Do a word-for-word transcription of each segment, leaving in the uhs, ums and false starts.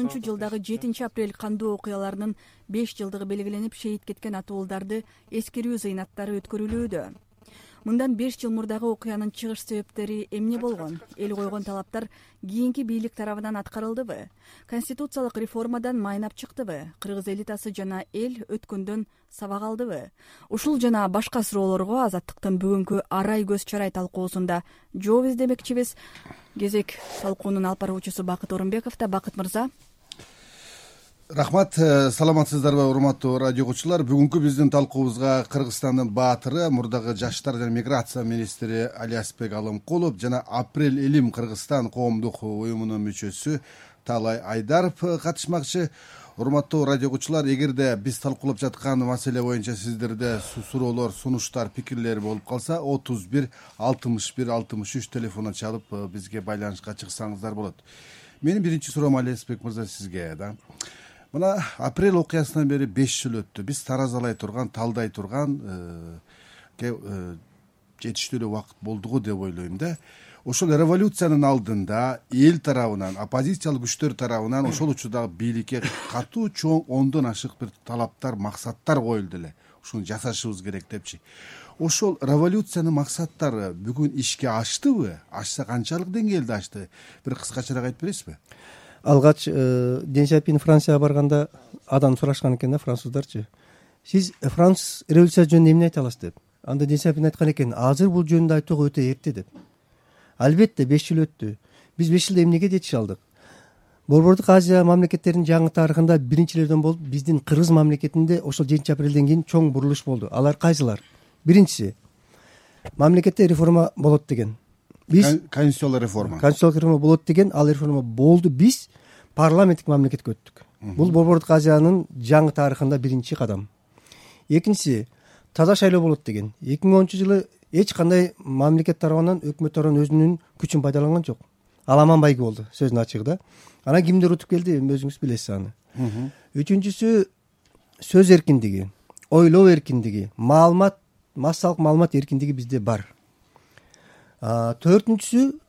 тогузунчу жылдагы жетинчи апрель кандуу окуяларынын беш жылдыгы белгиленип, шейит кеткен атууларды эскерүү зыйнаттары өткөрүлүүдө. Мындан беш жыл мурдагы окуянын чыгыш себептери эмне болгон? Эл койгон талаптар кийинки бийлик тарабынан аткарылдыбы? Конституциялык реформадан майнап чыктыбы? Кыргыз элитасы жана эл өткөндөн сабак алдыбы? Ушул жана башка суроолорго Азаттыктын бүгүнкү арай көз чарай талкуусунда жооп издемекчибиз. Кезек талкуунун алып баруучусу Бакыт Орунбековдо. Бакыт мырза. Рахмат, саламатсыздарбы урматтуу радио угуучулар. Бүгүнкү биздин талкуубузга Кыргызстандын баатыры, мурдагы жаштар жана миграция министри Алиасбек Алымкулов жана Апрель Элим Кыргызстан коомдук уюмунун мүчөсү Таалай Айдаров катышмакчы. Урматтуу радио угуучулар, эгерде биз талкуулап жаткан маселе боюнча сиздерде суроолор, сунуштар, пикирлер болуп калса, отуз бир алтымыш бир алтымыш үч телефонуна чалып бизге байланышка чыксаңыздар болот. Менин биринчи суроом Алиасбек мырза сизге да. Мына апрель окуясынан бери беш жыл өттү. Биз таразалай турган, талдай турган жетиштүү эле убакыт болдугу деп ойлойм да. Ошол революциянын алдында эл тарабынан, оппозициялык күчтөр тарабынан ошол учурдагы бийликке катуу чоң ондон ашык бир талаптар, максаттар коюлду эле. Ушуну жасашыбыз керек депчи. Ошол революциянын максаттары бүгүн ишке аштыбы? Ашса канчалык деңгээлде ашты? Бир кыскачараак айтып бересизби? Алгач Ден Сяопин Францияга барганда адам сурашкан экен да, француздарчы. Сиз француз революциясы жөнүндө эмне айта аласыз деп. Анда Ден Сяопин айткан экен, азыр бул жөнүндө айтууга өтө эрте деп. Албетте беш жыл өттү. Биз беш жылда эмнеге жетише алдык? Борбордук Азия мамлекеттеринин жаңы тарыхында биринчилерден болуп, биздин Кыргыз мамлекетинде ошол жетинчи апрелден кийин чоң бурулуш болду. Алар кайсылар? Биринчиси, мамлекетте реформа болот деген. Биз конституциялык реформа. Конституциялык реформа болот деген, ал реформа болду. Биз парламенттик мамлекетке өттүк. Бул Борбордук Азиянын жаңы тарыхында биринчи кадам. Экинчиси, таза шайлоо болот деген. эки миң онунчу жылы эч кандай мамлекет тарабынан, өкмөт тарабынан өзүнүн күчүн пайдаланган жок. Аламан байги болду, сөздүн ачыгы да. Анан кимдер утуп келди, өзүңүз билесиз аны. Үчүнчүсү, сөз эркиндиги, ойлоо эркиндиги, маалымат, массалык маалымат эркиндиги бизде бар. Төртүнчүсү,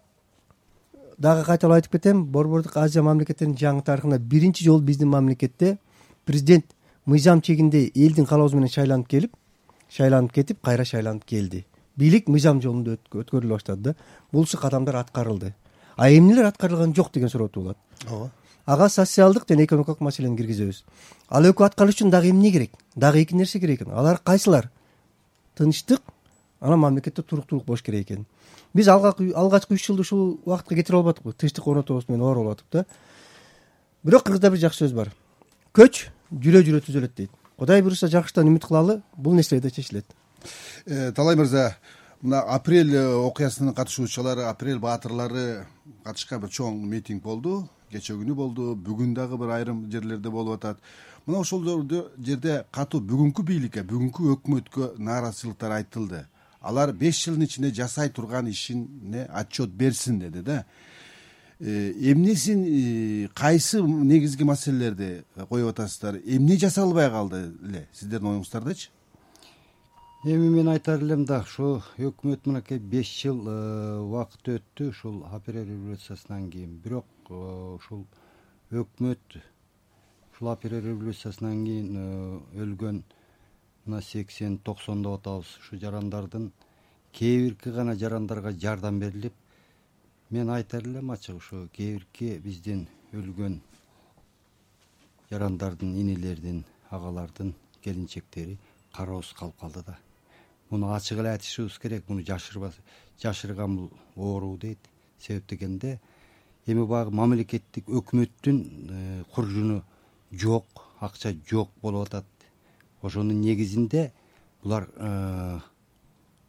дагы кайталап айтып кетем, Борбордук Азия мамлекеттеринин жаңы тарыхында биринчи жолу биздин мамлекетте президент мыйзам чегинде элдин каалоосу менен шайланып келип, шайланып кетип, кайра шайланып келди. Бийлик мыйзам жолунда өткөрүлө баштады да. Булчу кадамдар аткарылды. А эмнелер аткарылган жок деген суроо туулат. Ооба. Ага социалдык жана экономикалык маселени киргизебиз. Ал экөө аткарыш үчүн дагы эмне керек? Дагы эки нерсе керек экен. Алар кайсылар? Тынчтык, анан мамлекетте туруктуулук болуш керек экен. Биз алгачкы үч жылды ушул убакытка кетире албадыкпы, тынчтык орнотобуз менен оор болуп атып да. Бирок Кыргызда бир жакшы сөз бар. Көч жүрө-жүрө түзөлөт дейт. Кудай буюрса жакшыдан үмүт кылалы, бул нерсе да чечилет. Талай мырза, мына апрель окуясынын катышуучулары, апрель баатырлары катышкан бир чоң митинг болду. Кече күнү болду, бүгүн дагы бир айрым жерлерде болуп атат. Мына ошол жерде катуу бүгүнкү бийликке, бүгүнкү өкмөткө нааразычылыктар айтылды. Алар беш жылдын ичинде жасай турган ишине отчет берсин деди да. Эмнесин, кайсы негизги маселелерди коюп атасыздар? Эмне жасалбай калды эле сиздердин оюңуздардачы? Эми мен айтар элем да, ушу өкмөт мынакей беш жыл убакыт өттү ушул апрель революциясынан кийин. Бирок ушул өкмөт ушул апрель революциясынан кийин өлгөн мына сексен токсон деп атабыз ушу жарандардын кээ бирки гана жарандарга жардам берилип, мен айтар элем ачык, ушу кээ бирки биздин өлгөн жарандардын, инилердин, агалардын келинчектери кароосуз калып калды да. Муну ачык эле айтышыбыз керек, муну жашырбас, жашырган бул оору дейт. Себеп дегенде эми баягы мамлекеттик өкмөттүн куржуну жок, акча жок болуп атат. Ошонун негизинде булар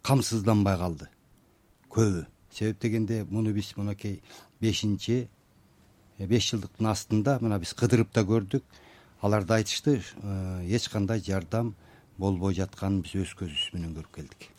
камсызданбай калды көбү. Себеп дегенде муну биз мынакей бешинчи беш жылдыктын астында мына биз кыдырып да көрдүк. Алар да айтышты, эч кандай жардам болбой жатканын биз өз көзүбүз менен көрүп келдик.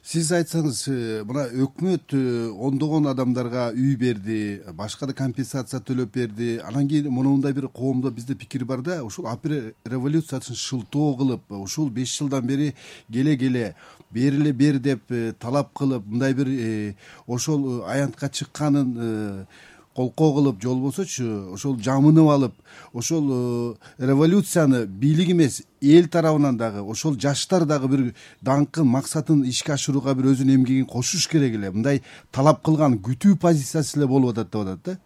Сиз айтсаңыз, мына өкмөт ондогон адамдарга үй берди, башка да компенсация төлөп берди. Анан кийин мындай бир коомдо бизде пикир бар да, ушул апрель революциясын шылтоо кылып, ушул беш жылдан бери келе-келе бериле бер деп талап кылып, мындай бир ошол аянтка чыкканын колкоо кылып же болбосочу ошол жамынып алып ошол революцияны бийлик эмес эл тарабынан дагы ошол жаштар дагы бир даңкын максатын ишке ашырууга бир өзүнүн эмгегин кошуш керек эле, мындай талап кылган күтүү позициясы эле болуп атат деп атат да.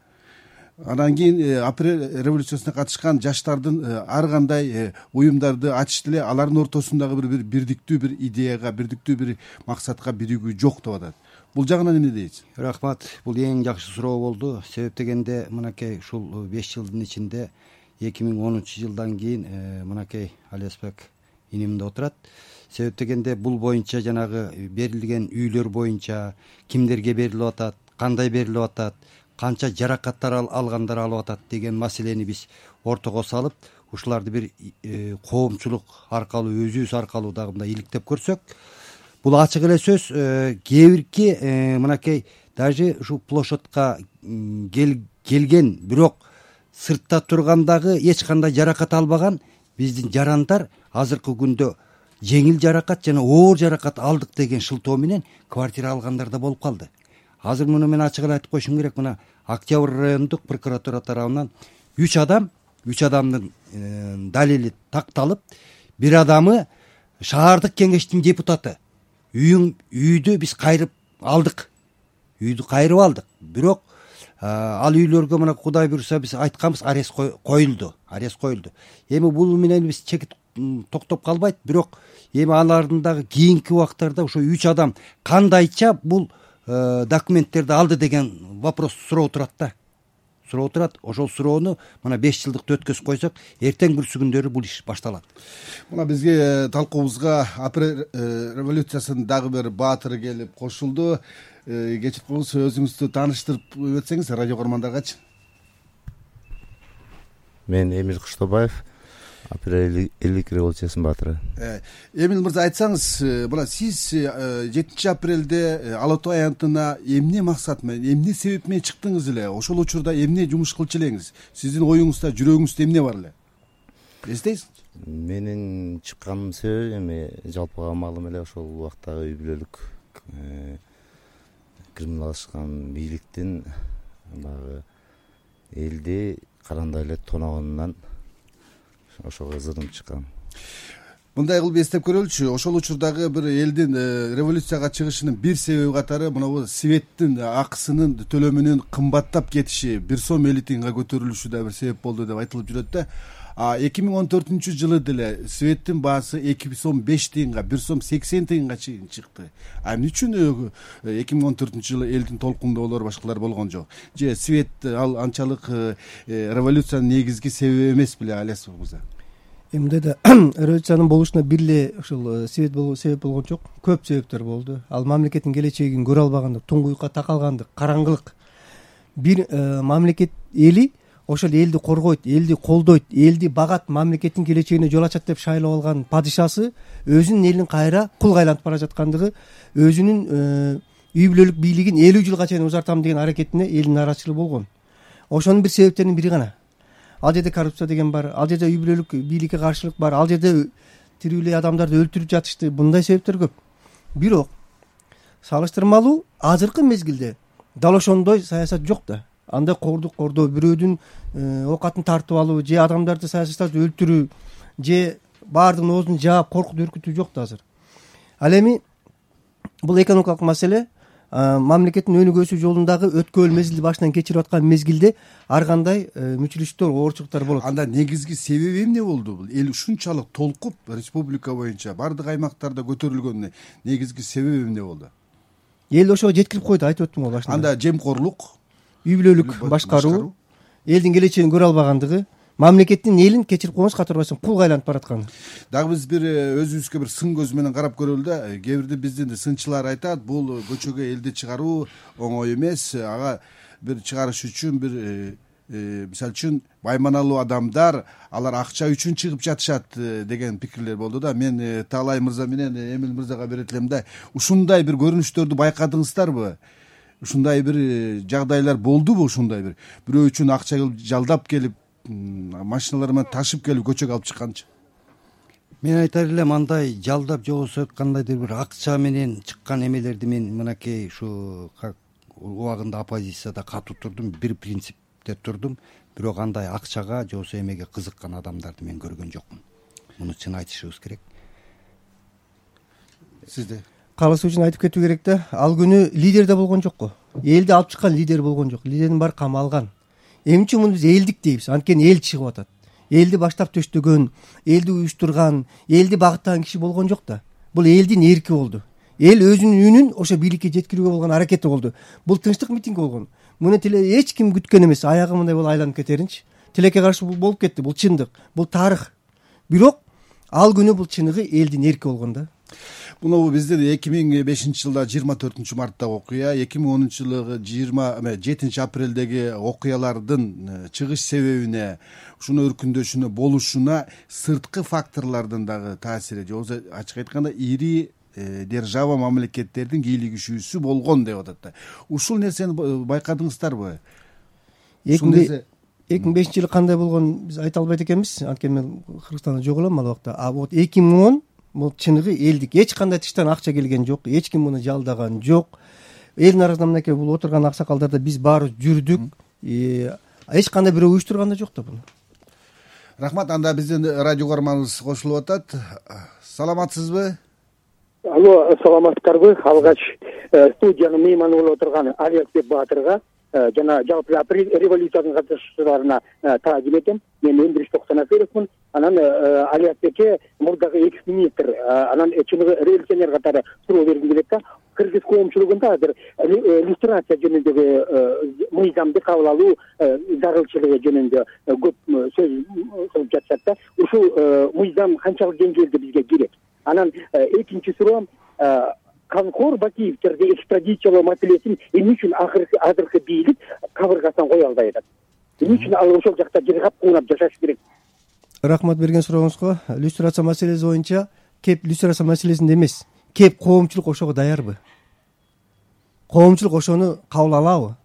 Анан кийин апрель революциясына катышкан жаштардын ар кандай уюмдарды ачышты эле, алардын ортосундагы бир бирдиктүү бир идеяга, бирдиктүү бир максатка биригүү жок деп атат. Бул жагынан эмне дейсиз? Рахмат. Бул эң жакшы суроо болду. Себеп дегенде мынакей ушул беш жылдын ичинде эки миң онунчу жылдан кийин мынакей Алиасбек инимде отурат. Себеп дегенде бул боюнча жанагы берилген үйлөр боюнча кимдерге берилип атат, кандай берилип атат, канча жаракаттар алгандар алып атат деген маселени биз ортого салып, ушуларды бир коомчулук аркылуу, өзүбүз аркылуу дагы мындай иликтеп көрсөк, бул ачык эле сөз. Кээ бирки мынакей даже ушу площадька келген, бирок сыртта тургандагы эч кандай жаракат албаган биздин жарандар азыркы күндө жеңил жаракат жана оор жаракат алдык деген шылтоо менен квартира алгандар да болуп калды. Азыр муну мен ачык эле айтып коюшум керек. Мына Октябрь райондук прокуратура тарабынан үч адам, үч адамдын далили такталып, бир адамы шаардык кеңештин депутаты. Үйүң үйдү биз кайрып алдык. Үйдү кайрып алдык. Бирок ал үйлөргө мына Кудай буйруса биз айтканбыз, арест коюлду. Арест коюлду. Эми бул менен биз чекит токтоп калбайт, бирок эми алардын дагы кийинки убактарда ошо үч адам кандайча бул документтерди алды деген вопрос суроо турат да. Суроо турат. Ошол суроону мына беш жылдыкты өткөзүп койсок, эртең бүрсү күндөрү бул иш башталат. Мына бизге талкуубузга апрель революциясынын дагы бир баатыры келип кошулду. Кечиркеңиз, өзүңүздү тааныштырып өтсеңиз радио көрөрмандаргачы. Мен Эмил Кыштобаев, апрель элдик революциясынын баатыры. Эмил мырза, айтсаңыз, мына сиз жетинчи апрелде Ала Тоо аянтына эмне максат менен, эмне себеп менен чыктыңыз эле? Ошол учурда эмне жумуш кылчу элеңиз? Сиздин оюңузда, жүрөгүңүздө эмне бар эле? Эстейсизби? Менин чыкканымдын себеби эми жалпыга маалым эле, ошол убактагы үй бүлөлүк криминалдашкан бийликтин баягы элди карандай эле тоногонунан ошого ызырым чыккан. Мындай кылып эстеп көрөлүчү, ошол учурдагы бир элдин революцияга чыгышынын бир себеби катары мына светтин акысынын төлөмүнүн кымбаттап кетиши, бир сом элүү тыйынга көтөрүлүшү да бир себеп болду деп айтылып жүрөт да. А эки миң он төртүнчү жылы деле светтин баасы эки сом беш тыйынга, бир сом сексен тыйынга чейин чыкты. А эмне үчүн эки миң он төртүнчү жылы элдин толкундоолору башкалар болгон жок? Же свет ал анчалык революциянын негизги себеби эмес беле, Алиасбек мырза? Эмне да революциянын болушуна бир эле ушул свет болуу себеп болгон жок. Көп себептер болду. Ал мамлекеттин келечегин көрө албагандык, туңгуюкка такалгандык, караңгылык. Бир мамлекет эли ошол элди коргойт, элди колдойт, элди багат, мамлекеттин келечегине жол ачат деп шайлап алган падышасы өзүнүн элин кайра кулга айлантып бара жаткандыгы, өзүнүн үй бүлөлүк бийлигин элүү жылга чейин узартам деген аракетине элдин нааразычылыгы болгон. Ошонун бир себептеринин бири гана. Ал жерде коррупция деген бар, ал жерде үй бүлөлүк бийликке каршылык бар, ал жерде тирүү эле адамдарды өлтүрүп жатышты. Мындай себептер көп. Бирок салыштырмалуу азыркы мезгилде дал ошондой саясат жок да. Андай кордук кордоо, бирөөдүн оокатын тартып алуу же адамдарды саясаттап өлтүрүү же баардыгын оозун жаап коркутуп үркүтүү жок да азыр. Ал эми бул экономикалык маселе мамлекеттин өнүгүүсү жолундагы өткөбөл мезгилди башынан кечирип аткан мезгилде ар кандай мүчүлүштөр, оорчулуктар болот. Анда негизги себеби эмне болду? Бул эл ушунчалык толкуп республика боюнча баардык аймактарда көтөрүлгөн негизги себеби эмне болду? Эл ошого жеткирип койду, айтып өттүм го башында. Анда жемкорлук, үй бүлөлүк башкаруу, элдин келечегин көрө албагандыгы, мамлекеттин элин кечирип койгонсуз катарбайсың, кулга айланып баратканы. Дагы биз бир өзүбүзгө бир сын көзү менен карап көрөлү да. Кээ бирде биздин сынчылар айтат, бул көчөгө элди чыгаруу оңой эмес. Ага бир чыгарыш үчүн бир мисалы үчүн байманалуу адамдар, алар акча үчүн чыгып жатышат деген пикирлер болду да. Мен Таалай мырза менен Эмил мырзага берет элем да. Ушундай бир көрүнүштөрдү байкадыңыздарбы? Ушундай бир жагдайлар болдубу? Ушундай бир бирөө үчүн акча жалдап келип, машиналар менен ташып келип көчөгө алып чыкканчы? Мен айтар элем, андай жалдап же болбосо кандайдыр бир акча менен чыккан эмелерди мен мынакей ушу убагында оппозицияда катуу турдум, бир принципте турдум, бирок андай акчага же болбосо эмеге кызыккан адамдарды мен көргөн жокмун. Муну чын айтышыбыз керек. Сизде калысы үчүн айтып кетүү керек да, ал күнү лидер да болгон жок го. Элди алып чыккан лидер болгон жок. Лидердин баары камалган. Эмне үчүн муну биз элдик дейбиз? Анткени эл чыгып атат. Элди баштап төштөгөн, элди уюштурган, элди багыттаган киши болгон жок да. Бул элдин эрки болду. Эл өзүнүн үнүн ошо бийликке жеткирүүгө болгон аракети болду. Бул тынчтык митинг болгон. Муну тиле эч ким күткөн эмес. Аягы мындай болуп айланып кетеринчи. Тилекке каршы бул болуп кетти. Бул чындык, бул тарых. Бирок ал күнү бул чыныгы элдин эрки болгон да. Муну бизде эки миң бешинчи жылда жыйырма төртүнчү марттагы окуя, эки миң онунчу жылы жыйырма жетинчи апрелдеги окуялардын чыгыш себебине, ушуну өркүндөшүнө, болушуна сырткы факторлордун дагы таасири, же болбосо ачык айтканда ири держава мамлекеттердин кийлигишүүсү болгон деп атат да. Ушул нерсени байкадыңыздарбы? эки миң бешинчи жылы кандай болгонун биз айта албайт экенбиз, анткени мен Кыргызстанда жок элем ал убакта. А вот эки миң он бул чыныгы элдик. Эч кандай тыштан акча келген жок, эч ким муну жалдаган жок. Элдин арасында мынакей бул отурган аксакалдарда биз баарыбыз жүрдүк. Эч кандай бирөө уюштурган да жок да буну. Рахмат. Анда биздин радио көрөрманыбыз кошулуп атат. Саламатсызбы? Алло, саламатсыздарбы? Алгач студиянын мейманы болуп отурган Алиасбек Баатырга жана жалпы революциянын катышуучуларына таазим этем. Мен Өндриш Токсоноферовмун. Анан Алиасбекке мурдагы экс-министр, анан чыныгы революционер катары суроо бергим келет да. Кыргыз коомчулугунда азыр иллюстрация жөнүндөгү мыйзамды кабыл алуу зарылчылыгы жөнүндө көп сөз кылып жатышат да. Ушул мыйзам канчалык деңгээлде бизге керек? Анан экинчи суроом, Канкор Бакиевтерди экстрадициялоо маселесин эмне үчүн азыркы бийлик кабыргасынан кое албай атат? Эмне үчүн ал ошол жакта жыргап куунап жашаш керек? Рахмат берген сурооңузга. Иллюстрация маселеси боюнча кеп иллюстрация маселесинде эмес, кеп коомчулук ошого даярбы? Коомчулук ошону кабыл алабы?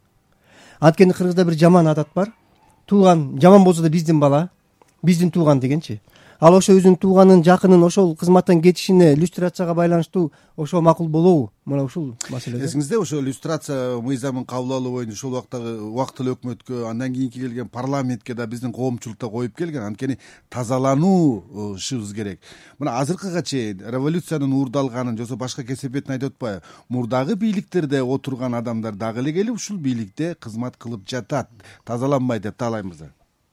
Анткени Кыргызда бир жаман адат бар. Тууган жаман болсо да биздин бала, биздин тууган дегенчи. Ал ошо өзүнүн тууганын, жакынын ошол кызматтан кетишине иллюстрацияга байланыштуу ошо макул болобу? Мына ушул маселе. Эсиңизде ошо иллюстрация мыйзамын кабыл алуу боюнча ошол убактагы убактылуу өкмөткө, андан кийинки келген парламентке да биздин коомчулукта коюп келген. Анткени тазалануушубуз керек. Мына азыркыга чейин революциянын уурдалганын, же болбосо башка кесепетин айтып атпайбы? Мурдагы бийликтерде отурган адамдар дагы эле келип ушул бийликте кызмат кылып жатат. Тазаланбайт деп таалайбыз.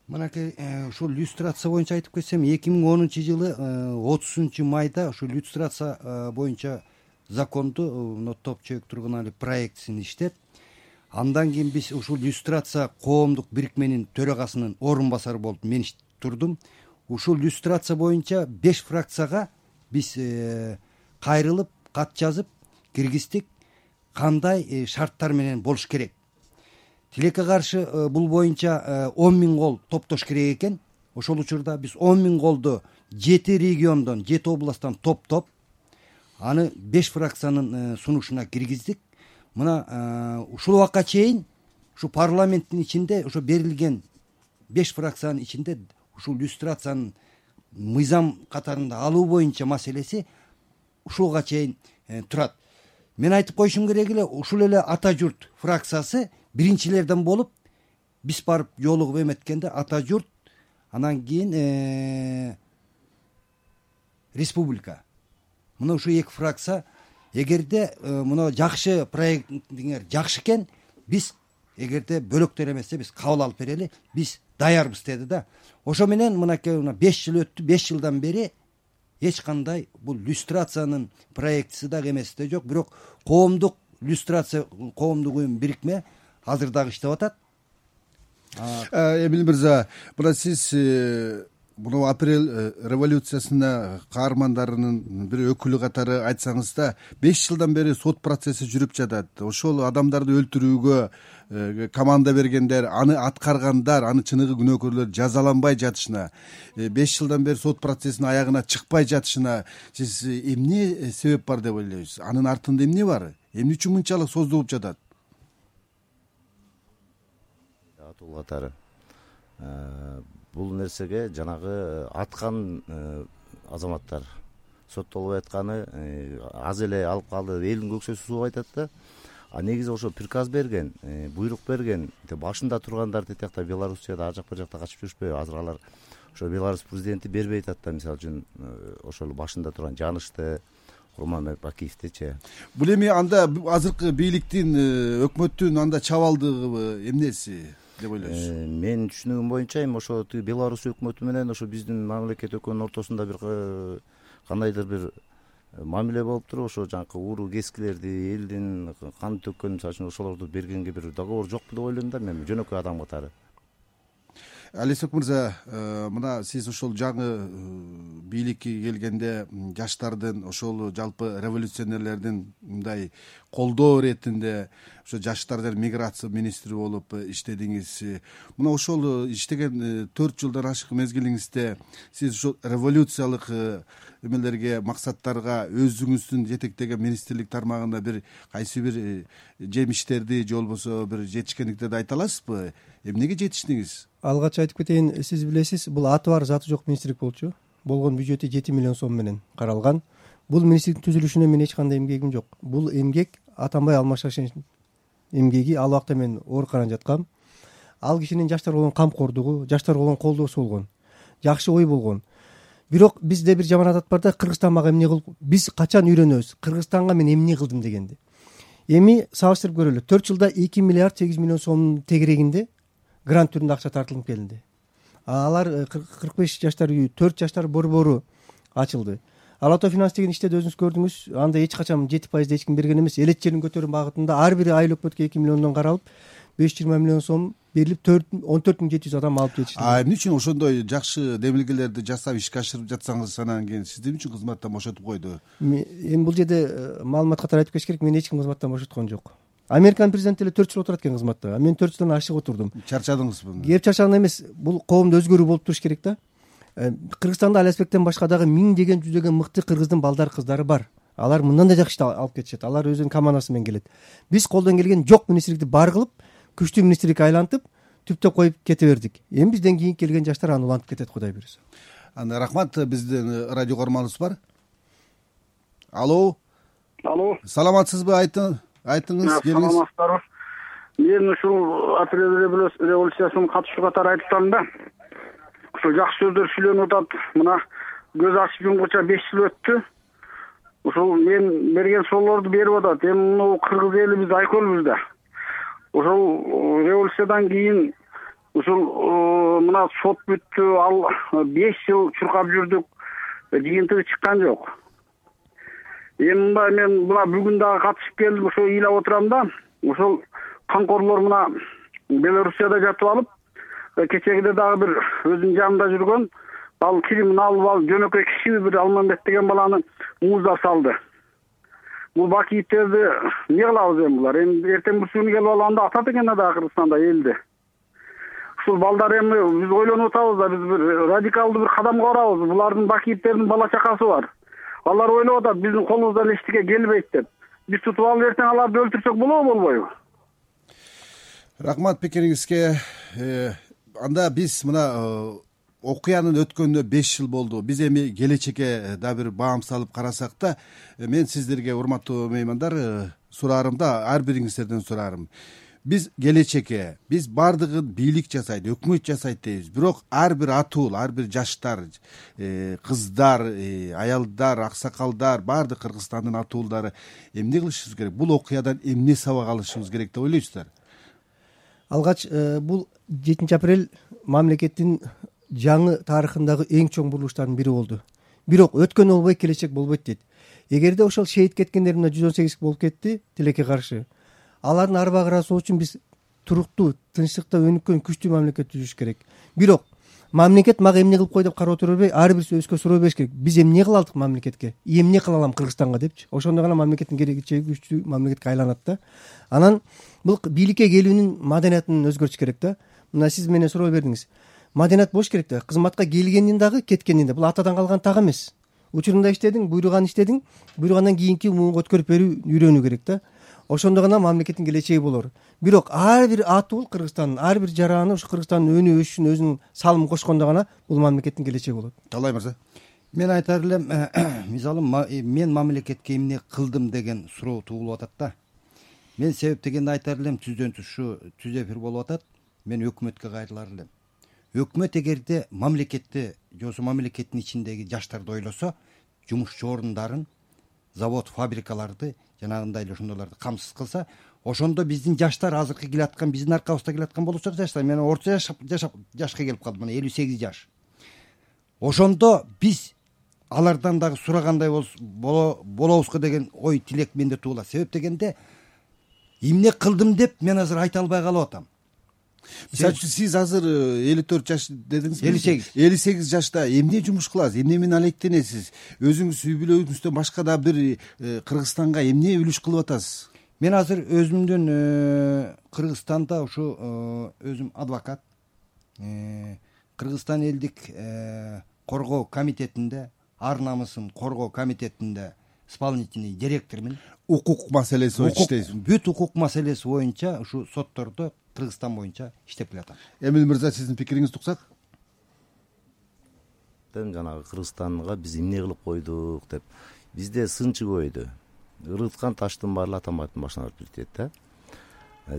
Мынакей ушул иллюстрация боюнча айтып кетсем, эки миң онунчу жылы отузунчу майда ушул иллюстрация боюнча законду мына топ чөйөк тургунали проектисин иштеп, андан кийин биз ушул иллюстрация коомдук бирикменин төрагасынын орун басары болуп мен турдум. Ушул иллюстрация боюнча беш фракцияга биз кайрылып, кат жазып киргиздик, кандай шарттар менен болуш керек. Тилекке каршы бул боюнча он миң кол топтош керек экен. Ошол учурда биз он миң колду жети региондон, жети областтан топтоп, аны беш фракциянын сунушуна киргиздик. Мына ушул убакка чейин ушу парламенттин ичинде ошо берилген беш фракциянын ичинде ушул иллюстрациянын мыйзам катарында алуу боюнча маселеси ушуга чейин турат. Мен айтып коюшум керек эле, ушул эле Ата журт фракциясы биринчилерден болуп, биз барып жолугуп эметкенде Ата журт, анан кийин республика. Мына ушу эки фракция, эгерде мына жакшы проектиңер жакшы экен, биз эгерде бөлөктөр эмесе биз кабыл алып берели, биз даярбыз деди да. Ошо менен мынакей беш жыл өттү, беш жылдан бери эч кандай бул иллюстрациянын проектиси дагы эмеси да жок, бирок коомдук иллюстрация, коомдук уюм бирикме азыр дагы иштеп атат. Эмил мырза, мына сиз муну апрель революциясына каармандарынын бир өкүлү катары айтсаңыз да, беш жылдан бери сот процесси жүрүп жатат. Ошол адамдарды өлтүрүүгө команда бергендер, аны аткаргандар, аны чыныгы күнөөкөрлөр жазаланбай жатышына, беш жылдан бери сот процессинин аягына чыкпай жатышына сиз эмне себеп бар деп ойлойсуз? Анын артында эмне бар? Эмне үчүн мынчалык создулуп жатат? Атул катары бул нерсеге жанагы аткан азаматтар соттолбой атканы аз эле алып калды, элдин көксөсү сууп айтат да. а негизи ошо приказ берген, буйрук берген башында тургандар тиякта Белоруссияда ар жак бир жакта качып жүрүшпөйбү. Азыр алар ошо Беларусь президенти бербей атат да, мисалы үчүн ошол башында турган Жанышты, Курманбек Бакиевдичи. Бул эми анда азыркы бийликтин, өкмөттүн анда чабалдыгыбы, эмнеси деп ойлойсуз? Менин түшүнүгүм боюнча эми ошо Беларусь өкмөтү менен ошо биздин мамлекет өкмөтүнүн ортосунда бир кандайдыр бир мамиле болуп туруп, ошо жанакы уруу кескилерди, элдин кан төккөн, мисалы үчүн ошолорду бергенге бир договор жокпу деп ойлойм да мен, жөнөкөй адам катары. Алиасбек мырза, мына сиз ошол жаңы бийликке келгенде жаштардын, ошол жалпы революционерлердин мындай колдоо иретинде ошо жаштар жана миграция министри болуп иштедиңиз. Мына ошол иштеген төрт жылдан ашык мезгилиңизде сиз ошол революциялык эмелерге, максаттарга өзүңүздүн жетектеген министрлик тармагында бир кайсы бир жемиштерди же болбосо бир жетишкендиктерди айта аласызбы? Эмнеге жетиштиңиз? Алгач айтып кетейин, сиз билесиз, бул аты бар, заты жок министрлик болчу. Болгон бюджети жети миллион сом менен каралган. Бул министрликтин түзүлүшүнө менин эч кандай эмгегим жок. Бул эмгек Атамбай Алмашашевичтин эмгеги. Ал убакта мен ооруканада жаткам. Ал кишинин жаштар болгон камкордугу, жаштар болгон колдоосу болгон. Жакшы ой болгон. Бирок бизде бир жаман адат бар да, Кыргызстан мага эмне кылып, биз качан үйрөнөбүз? Кыргызстанга мен эмне кылдым дегенди. Эми салыштырып көрөлү. төрт жылда эки миллиард сегиз миллион сомдун тегерегинде грант түрүндө акча тартылып келди. Алар кырк беш жаштар үйү, төрт жаштар борбору ачылды. Ал Ато Финанс деген иште өзүңүз көрдүңүз, анда эч качан жети пайызды эч ким берген эмес. Элет жерин көтөрүү багытында ар бир айыл өкмөткө эки миллиондон каралып, беш жүз жыйырма миллион сом берилип, он төрт миң жети жүз адам алып жетишти. А эмне үчүн ошондой жакшы демилгелерди жасап ишке ашырып жатсаңыз, анан кийин сизди эмне үчүн кызматтан бошотуп койду? Эми бул жерде маалымат катары айтып кетиш керек, мени эч ким кызматтан бошоткон жок. Американын президенти эле төрт жыл отурат экен кызматта, а мен төрт жылдан ашык отурдум. Чарчадыңызбы? Кеп чарчаган эмес, бул коомдо өзгөрүү болуп туруш керек да. Кыргызстанда Алиасбектен башка дагы миңдеген, жүздөгөн мыкты кыргыздын балдар, кыздары бар. Алар мындан да жакшы алып кетишет. Алар өзүнүн командасы менен келет. Биз колдон келген жок министрликти бар кылып, күчтүү министрликке айлантып, түптөп коюп кете бердик. Эми бизден кийин келген жаштар аны улантып кетет, Кудай буйруса. Анда рахмат, биздин радио көрманыбыз бар. Алло. Алло. Саламатсызбы, айтың, айтыңыз, келиңиз. Саламатсыздарбы. Мен ушул апрель революциясына катышуу катары айтып атам да. Ушул жакшы сөздөр сүйлөнүп атат. Мына көз ачып жумгуча беш жыл өттү. Ушул мен берген суроолорду берип атат. Эми муну кыргыз эли биз айкөлбүз да. Ошол революциядан кийин ушул мына сот бүттү, ал беш жыл чуркап жүрдүк, жыйынтыгы чыккан жок. Эми мындай мен мына бүгүн дагы катышып келдим, ошо ыйлап отурам да. Ошол камкорлор мына Белоруссияда жатып алып, кечегиде дагы бир өзүнүн жанында жүргөн, ал киримин алып алып, жөнөкөй киши бир Алмамбет деген баланы мууздап салды. Бул Бакиевтерди эмне кылабыз эми булар? Эми эртең бүрсүгүнү келип алганда атат экен да Кыргызстанда элди. Ушул балдар эми биз ойлонуп атабыз да, биз бир радикалдуу бир кадамга барабыз. Булардын Бакиевтердин бала чакасы бар. Алар ойлоп атат, биздин колубуздан эчтеке келбейт деп. Биз тутуп алып эртең аларды өлтүрсөк болобу, болбойбу? Рахмат пикириңизге. Анда биз мына окуянын өткөнүнө беш жыл болду. Биз эми келечекке да бир баам салып карасак да, мен сиздерге, урматтуу меймандар, сураарым да, ар бириңиздерден сураарым. Биз келечекке, биз бардыгын бийлик жасайт, өкмөт жасайт дейбиз. Бирок ар бир атуул, ар бир жаштар, кыздар, аялдар, аксакалдар, бардык Кыргызстандын атуулдары эмне кылышыбыз керек? Бул окуядан эмне сабак алышыбыз керек деп ойлойсуздар? Алгач, бул жетинчи апрель мамлекеттин жаңы тарыхындагы эң чоң бурулуштардын бири болду. Бирок өткөн болбой, келечек болбойт дейт. Эгерде ошол шейит кеткендер мына жүз он сегиз болуп кетти, тилекке каршы. Алардын арбагы ырасуу үчүн биз туруктуу, тынчтыкта өнүккөн күчтүү мамлекет түзүш керек. Бирок мамлекет мага эмне кылып кой деп карап отура бербей, ар бирisi өзгө суроо бериш керек. Биз эмне кыла алдык мамлекетке? Эмне кыла алам Кыргызстанга депчи. Ошондо гана мамлекеттин келечеги күчтүү мамлекетке айланат да. Анан бул бийликке келүүнүн маданиятын өзгөртүш керек да. Мына сиз менен суроо бердиңиз. Маданият болуш керек да. Кызматка келгендин дагы, кеткендин да. Бул атадан калган так эмес. Учурунда иштедиң, буйруган иштедиң, буйругандан кийинки муунга өткөрүп берүү үйрөнүү керек да. Ошондо гана мамлекеттин келечеги болор. Бирок ар бир атуул Кыргызстандын, ар бир жараны ушу Кыргызстандын өнүгүү өсүшүнө өзүнүн салымын кошкондо гана бул мамлекеттин келечеги болот. Талай мырза. Мен айтар элем, мисалы мен мамлекетке эмне кылдым деген суроо туулуп атат да. мен себеп дегенди айтар элем. Түздөн түз ушу түз эфир болуп атат. Мен өкмөткө кайрылар элем. Өкмөт эгерде мамлекетти жосо мамлекеттин ичиндеги жаштарды ойлосо, жумушчу орундарын, завод, фабрикаларды жанагындай эле ошондойлорду камсыз кылса, ошондо биздин жаштар азыркы келаткан, биздин аркабызда келаткан болочок жаштар, мен орто жашап жашап жашка келип калдым, мына элүү сегиз жаш. Ошондо биз алардан дагы сурагандай болобузго деген ой тилек менде туулат. Себеп дегенде эмне кылдым деп мен азыр айта албай калып атам. Мисалы үчүн сиз азыр элүү төрт жаш дедиңиз. элүү сегиз элүү сегиз жашта эмне жумуш кыласыз, эмне менен алектенесиз? Өзүңүз үй бүлөңүздөн башка да бир Кыргызстанга эмне үлүш кылып атасыз? Мен азыр өзүмдүн Кыргызстанда ушу өзүм адвокат, Кыргызстан элдик коргоо комитетинде, ар намысын коргоо комитетинде исполнительный директормун. Укук маселеси боюнча иштейсиз? Бүт укук маселеси боюнча ушу соттордо Кыргызстан боюнча иштеп келатам. Эмил мырза, сиздин пикириңизди уксак? Жанагы Кыргызстанга биз эмне кылып койдук деп. Бизде сынчы көбөйдү. Ырыткан таштын баары атамбаттын башына барып жетет да.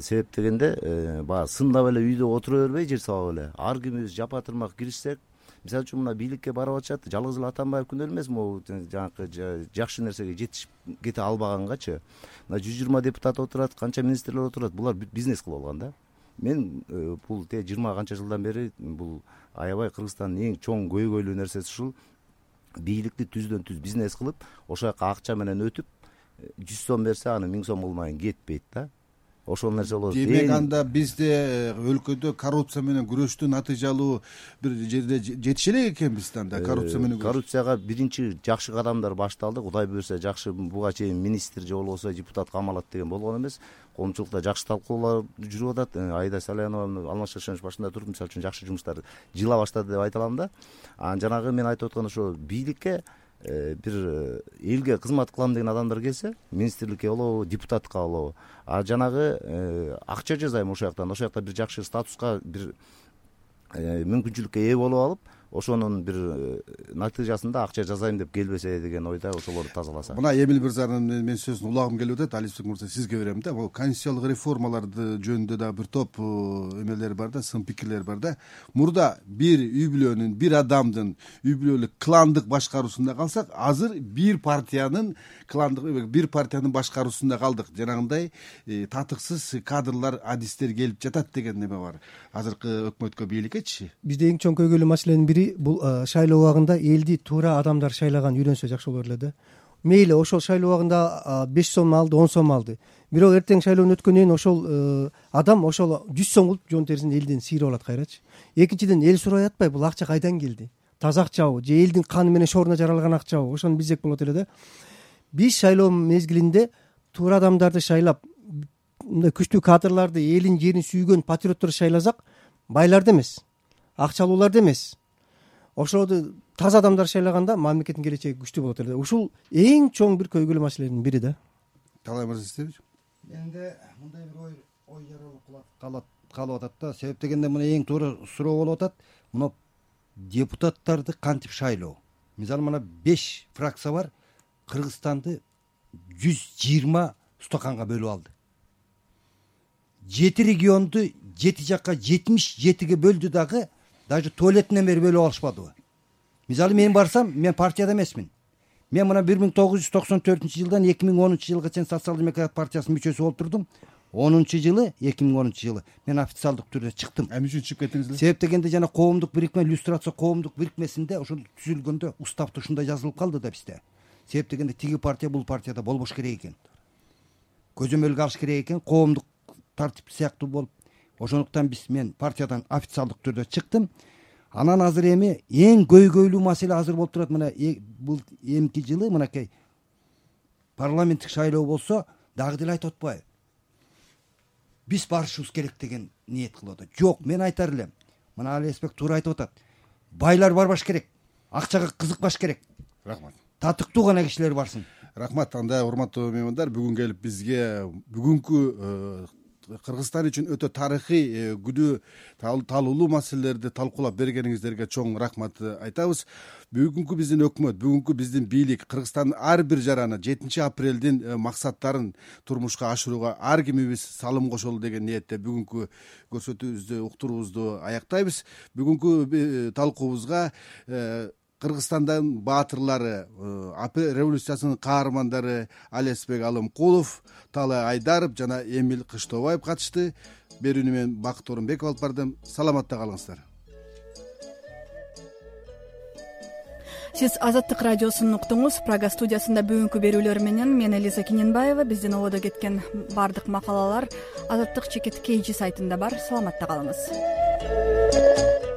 Себеп дегенде баягы сындап эле үйдө отура бербей, жер сабап эле ар кимибиз жапа тырмак киришсек, мисалы үчүн мына бийликке барып атышат, жалгыз эле Атамбаев күнөө эмес, могу жанагы жакшы нерсеге жетишип кете албагангачы. Мына жүз жыйырма депутат отурат, канча министрлер отурат, булар бүт бизнес кылып алган да. Мен бул те жыйырма канча жылдан бери бул аябай Кыргызстандын эң чоң көйгөйлүү нерсеси ушул. Бийликти түздөн түз бизнес кылып, ошол жака акча менен өтүп, жүз сом берсе аны миң сом кылмайын кетпейт да. Ошол нерсе болот. Демек анда бизде өлкөдө коррупция менен күрөштү натыйжалуу бир жерде жетише элек экенбиз да анда коррупция менен. Коррупцияга биринчи жакшы кадамдар башталды. Кудай буюрса жакшы буга чейин министр же болбосо депутат камалат деген болгон эмес. Коомчулукта жакшы талкуулар жүрүп атат. Айда Салянова Алмаз Шашенович башында туруп, мисалы үчүн жакшы жумуштар жыла баштады деп айта алам да. Анан жанагы мен айтып аткан ошо бийликке бир элге кызмат кылам деген адамдар келсе, министрликке болобу, депутатка болобу, а жанагы акча жазайм ошол жактан, ошол жакта бир жакшы статуска, бир мүмкүнчүлүккө ээ болуп алып, ошонун бир натыйжасында акча жазайм деп келбесе деген ойда ошолорду тазаласа. Мына Эмил мырзанын мен сөзүн улагым келип атат. Алиспек мырза, сизге берем да. Бул конституциялык реформаларды жөнүндө да бир топ эмелер бар да, сын пикирлер бар да. Мурда бир үй бүлөнүн, бир адамдын үй бүлөлүк кландык башкаруусунда калсак, азыр бир партиянын кландык, бир партиянын башкаруусунда калдык. Жанагындай татыксыз кадрлар, адистер келип жатат деген неме бар. Азыркы өкмөткө, бийликкечи. Бизде эң чоң көйгөйлүү маселенин бири бул шайлоо убагында элди туура адамдар шайлаган үйрөнсө жакшы болор эле да. Мейли ошол шайлоо убагында беш сом алды, он сом алды. Бирок эртең шайлоонун өткөндөн кийин ошол адам ошол жүз сом кылып жон терисин элден сыйрып алат кайрачы. Экинчиден, эл сурабай атпайбы, бул акча кайдан келди? Таза акчабы же элдин каны менен шооруна жаралган акчабы? Ошону билсек болот эле да. Биз шайлоо мезгилинде туура адамдарды шайлап, мындай күчтүү кадрларды, элин жерин сүйгөн патриотторду шайласак, байларды эмес, акчалууларды эмес, ошолорду таза адамдар шайлаганда мамлекеттин келечеги күчтүү болот эле. Ушул эң чоң бир көйгөйлүү маселенин бири да. Талай мырза, сиздерби? Менде мындай бир ой ой жаралып калат калып атат да. Себеп дегенде мына эң туура суроо болуп атат. Мына депутаттарды кантип шайлоо? Мисалы мына беш фракция бар, Кыргызстанды жүз жыйырма стаканга бөлүп алды. Жети регионду жети жакка жетимиш жетиге бөлдү дагы, даже туалетинен бери бөлүп алышпадыбы? Мисалы мен барсам, мен партияда эмесмин. Мен мына бир миң тогуз жүз токсон төртүнчү жылдан эки миң онунчу жылга чейин Социал-демократ партиясынын мүчөсү болуп турдум. онунчу жылы, эки миң онунчу жылы мен официалдык түрдө чыктым. Эмне үчүн чыгып кеттиңиз эле? Себеп дегенде жана коомдук бирикме, иллюстрация коомдук бирикмесинде ошол түзүлгөндө уставда ушундай жазылып калды да бизде. Себеп дегенде тиги партия бул партияда болбош керек экен. Көзөмөлгө алыш керек экен, коомдук тартип сыяктуу болуп. Ошондуктан биз мен партиядан официалдык түрдө чыктым. Анан азыр эми эң көйгөйлүү маселе азыр болуп турат. Мына бул эмки жылы мынакей парламенттик шайлоо болсо дагы деле айтып атпайбы? Биз барышыбыз керек деген ниет кылып атат. Жок, мен айтар элем. Мына Алиспек туура айтып атат. Байлар барбаш керек. Акчага кызыкпаш керек. Рахмат. Татыктуу гана кишилер барсын. Рахмат. Анда урматтуу меймандар, бүгүн келип бизге бүгүнкү Кыргызстан үчүн өтө тарыхый, күнөө талуулуу маселелерди талкуулап бергениңиздерге чоң рахмат айтабыз. Бүгүнкү биздин өкмөт, бүгүнкү биздин бийлик Кыргызстандын ар бир жараны жетинчи апрелдин максаттарын турмушка ашырууга ар кимибиз салым кошолу деген ниетте бүгүнкү көрсөтүүбүздү, уктуруубузду аяктайбыз. Бүгүнкү талкуубузга Кыргызстандын баатырлары, революциясынын каармандары Алиасбек Алымкулов, Таалай Айдаров жана Эмил Кыштобаев катышты. Берүүнү мен Бакыт Орунбеков алып бардым. Саламатта калыңыздар. Сиз Азаттык радиосун уктуңуз. Прага студиясында бүгүнкү берүүлөр менен мен Элиза Киненбаева. Биздин ободо кеткен бардык макалалар Азаттык чекит кей жи сайтында бар. Саламатта калыңыз.